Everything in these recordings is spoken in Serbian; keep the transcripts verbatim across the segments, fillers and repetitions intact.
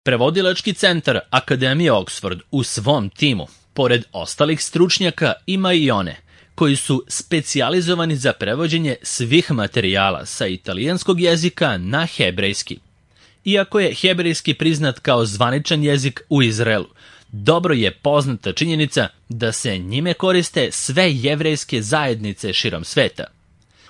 Prevodilački centar Akademije Oxford u svom timu, pored ostalih stručnjaka, ima i one koji su specijalizovani za prevođenje svih materijala sa italijanskog jezika na hebrejski. Iako je hebrejski priznat kao zvaničan jezik u Izraelu, dobro je poznata činjenica da se njime koriste sve jevrejske zajednice širom sveta.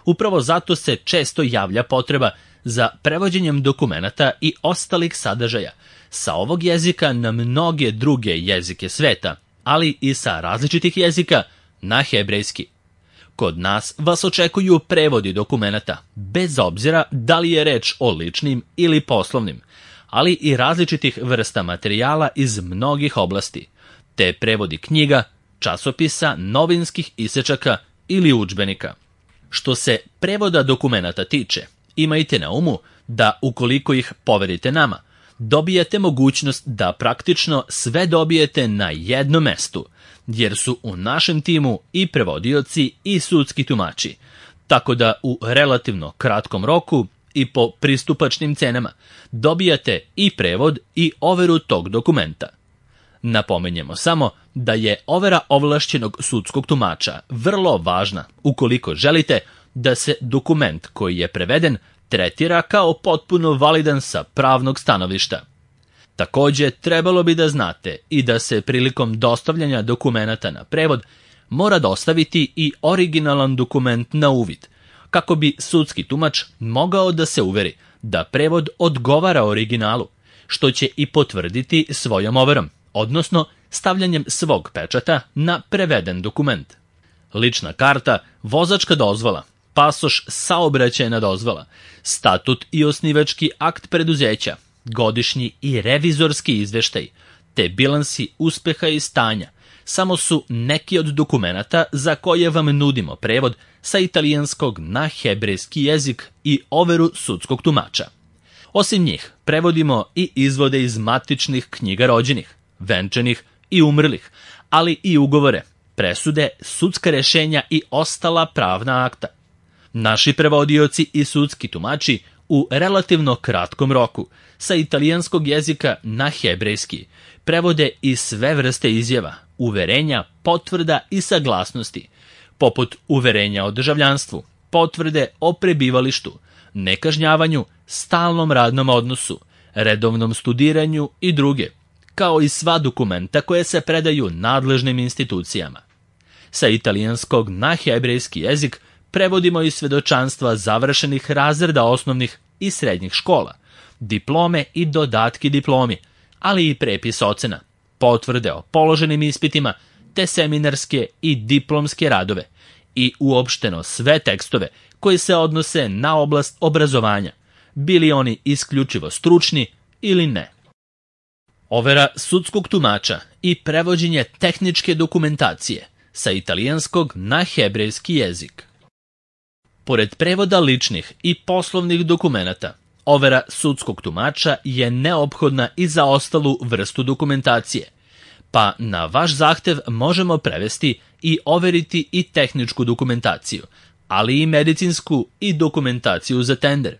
Upravo zato se često javlja potreba za prevođenjem dokumenata i ostalih sadržaja sa ovog jezika na mnoge druge jezike sveta, ali i sa različitih jezika na hebrejski. Kod nas vas očekuju prevodi dokumenata, bez obzira da li je reč o ličnim ili poslovnim, ali i različitih vrsta materijala iz mnogih oblasti, te prevodi knjiga, časopisa, novinskih isečaka ili udžbenika. Što se prevoda dokumenata tiče, imajte na umu da ukoliko ih poverite nama, dobijete mogućnost da praktično sve dobijete na jednom mestu, jer su u našem timu i prevodioci i sudski tumači, tako da u relativno kratkom roku i po pristupačnim cenama dobijate i prevod i overu tog dokumenta. Napomenjemo samo da je overa ovlašćenog sudskog tumača vrlo važna ukoliko želite da se dokument koji je preveden tretira kao potpuno validan sa pravnog stanovišta. Takođe, trebalo bi da znate i da se prilikom dostavljanja dokumenata na prevod mora dostaviti i originalan dokument na uvid, kako bi sudski tumač mogao da se uveri da prevod odgovara originalu, što će i potvrditi svojom overom, odnosno stavljanjem svog pečata na preveden dokument. Lična karta, vozačka dozvola, pasoš, saobraćajna dozvola, statut i osnivački akt preduzeća, godišnji i revizorski izveštaj, te bilansi uspeha i stanja, samo su neki od dokumenata za koje vam nudimo prevod sa italijanskog na hebrejski jezik i overu sudskog tumača. Osim njih, prevodimo i izvode iz matičnih knjiga rođenih, venčanih i umrlih, ali i ugovore, presude, sudska rešenja i ostala pravna akta. Naši prevodioci i sudski tumači u relativno kratkom roku sa italijanskog jezika na hebrejski prevode i sve vrste izjava, uverenja, potvrda i saglasnosti, poput uverenja o državljanstvu, potvrde o prebivalištu, nekažnjavanju, stalnom radnom odnosu, redovnom studiranju i druge, kao i sva dokumenta koje se predaju nadležnim institucijama. Sa italijanskog na hebrejski jezik prevodimo i svedočanstva završenih razreda osnovnih i srednjih škola, diplome i dodatki diplomi, ali i prepis ocena, potvrde o položenim ispitima, te seminarske i diplomske radove i uopšteno sve tekstove koji se odnose na oblast obrazovanja, bili oni isključivo stručni ili ne. Overa sudskog tumača i prevođenje tehničke dokumentacije sa italijanskog na hebrejski jezik. Pored prevoda ličnih i poslovnih dokumenata, overa sudskog tumača je neophodna i za ostalu vrstu dokumentacije, pa na vaš zahtev možemo prevesti i overiti i tehničku dokumentaciju, ali i medicinsku i dokumentaciju za tender.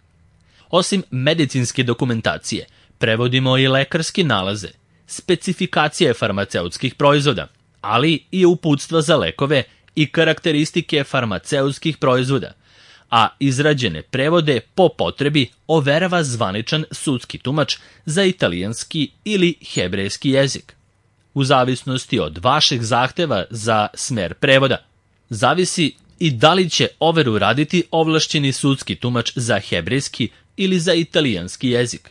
Osim medicinske dokumentacije, prevodimo i lekarske nalaze, specifikacije farmaceutskih proizvoda, ali i uputstva za lekove i karakteristike farmaceutskih proizvoda, a izrađene prevode po potrebi overava zvaničan sudski tumač za italijanski ili hebrejski jezik. U zavisnosti od vašeg zahteva za smer prevoda, zavisi i da li će overu raditi ovlašćeni sudski tumač za hebrejski ili za italijanski jezik.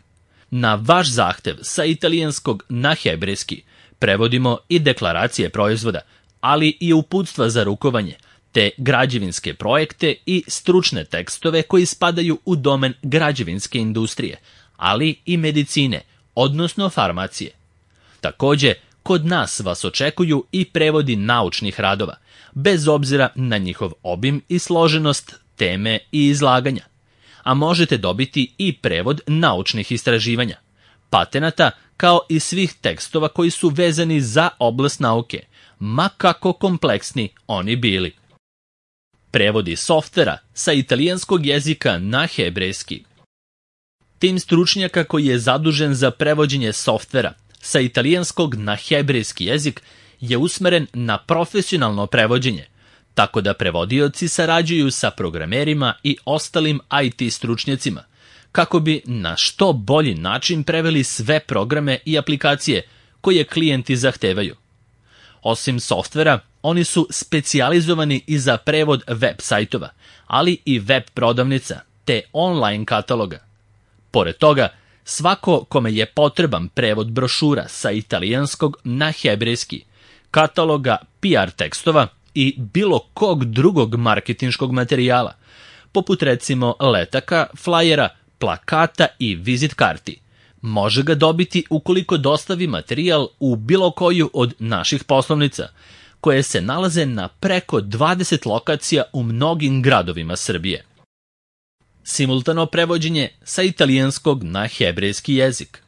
Na vaš zahtev sa italijanskog na hebrejski prevodimo i deklaracije proizvoda, ali i uputstva za rukovanje, te građevinske projekte i stručne tekstove koji spadaju u domen građevinske industrije, ali i medicine, odnosno farmacije. Takođe, kod nas vas očekuju i prevodi naučnih radova, bez obzira na njihov obim i složenost, teme i izlaganja. A možete dobiti i prevod naučnih istraživanja, patenata, kao i svih tekstova koji su vezani za oblast nauke, ma kako kompleksni oni bili. Prevodi softvera sa italijanskog jezika na hebrejski. Tim stručnjaka koji je zadužen za prevođenje softvera sa italijanskog na hebrejski jezik je usmeren na profesionalno prevođenje, tako da prevodioci sarađuju sa programerima i ostalim I T stručnjacima, kako bi na što bolji način preveli sve programe i aplikacije koje klijenti zahtevaju. Osim softvera, oni su specijalizovani i za prevod web sajtova, ali i web prodavnica, te online kataloga. Pored toga, svako kome je potreban prevod brošura sa italijanskog na hebrejski, kataloga P R tekstova i bilo kog drugog marketinškog materijala, poput recimo letaka, flajera, plakata i vizit karti, može ga dobiti ukoliko dostavi materijal u bilo koju od naših poslovnica, koje se nalaze na preko dvadeset lokacija u mnogim gradovima Srbije. Simultano prevođenje sa italijanskog na hebrejski jezik.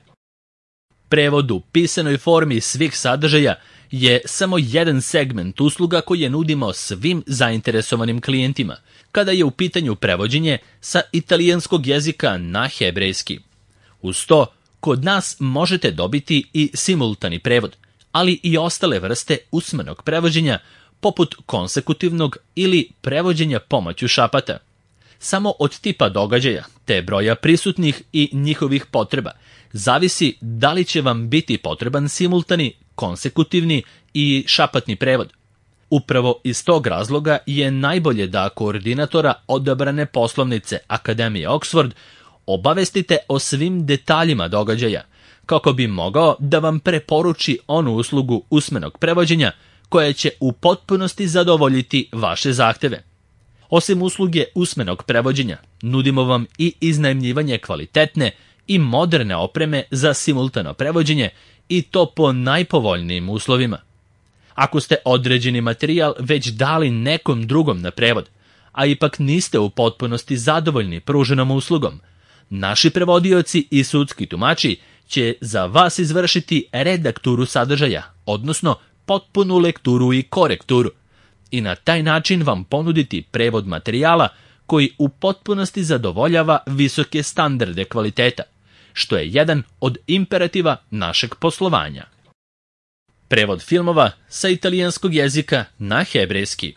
Prevod u pisanoj formi svih sadržaja je samo jedan segment usluga koje nudimo svim zainteresovanim klijentima, kada je u pitanju prevođenje sa italijanskog jezika na hebrejski. Uz to, kod nas možete dobiti i simultani prevod, ali i ostale vrste usmenog prevođenja, poput konsekutivnog ili prevođenja pomoću šapata. Samo od tipa događaja, te broja prisutnih i njihovih potreba, zavisi da li će vam biti potreban simultani, konsekutivni i šapatni prevod. Upravo iz tog razloga je najbolje da koordinatora odabrane poslovnice Akademije Oxford obavestite o svim detaljima događaja, kako bi mogao da vam preporuči onu uslugu usmenog prevođenja koja će u potpunosti zadovoljiti vaše zahteve. Osim usluge usmenog prevođenja, nudimo vam i iznajmljivanje kvalitetne i moderne opreme za simultano prevođenje i to po najpovoljnijim uslovima. Ako ste određeni materijal već dali nekom drugom na prevod, a ipak niste u potpunosti zadovoljni pruženom uslugom, naši prevodioci i sudski tumači će za vas izvršiti redakturu sadržaja, odnosno potpunu lekturu i korekturu, i na taj način vam ponuditi prevod materijala koji u potpunosti zadovoljava visoke standarde kvaliteta, što je jedan od imperativa našeg poslovanja. Prevod filmova sa italijanskog jezika na hebrejski.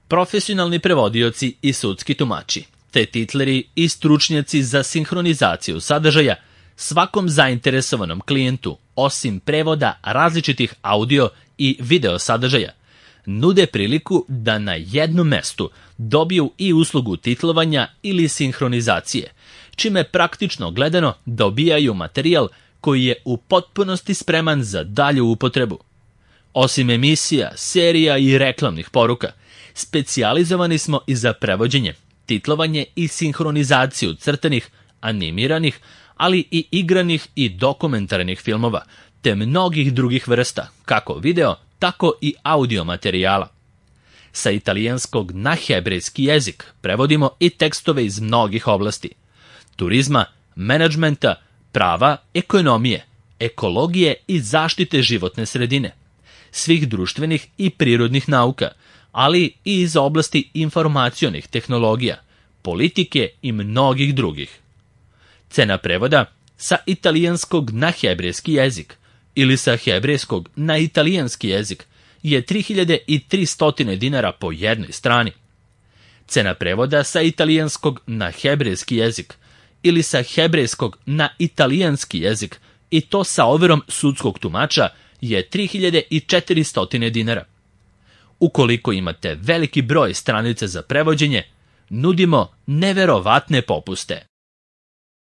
Profesionalni prevodioci i sudski tumači, te titleri i stručnjaci za sinhronizaciju sadržaja svakom zainteresovanom klijentu, osim prevoda različitih audio i video sadržaja, nude priliku da na jednom mestu dobiju i uslugu titlovanja ili sinhronizacije, čime praktično gledano dobijaju materijal koji je u potpunosti spreman za dalju upotrebu. Osim emisija, serija i reklamnih poruka, specijalizovani smo i za prevođenje, titlovanje i sinhronizaciju crtanih, animiranih, ali i igranih i dokumentarnih filmova, te mnogih drugih vrsta, kako video, tako i audio materijala. Sa italijanskog na hebrejski jezik prevodimo i tekstove iz mnogih oblasti: turizma, menadžmenta, prava, ekonomije, ekologije i zaštite životne sredine, svih društvenih i prirodnih nauka, ali i iz oblasti informacionih tehnologija, politike i mnogih drugih. Cena prevoda sa italijanskog na hebrejski jezik ili sa hebrejskog na italijanski jezik je tri hiljade tristo dinara po jednoj strani. Cena prevoda sa italijanskog na hebrejski jezik ili sa hebrejskog na italijanski jezik, i to sa overom sudskog tumača, je tri hiljade četiristo dinara. Ukoliko imate veliki broj stranica za prevođenje, nudimo neverovatne popuste.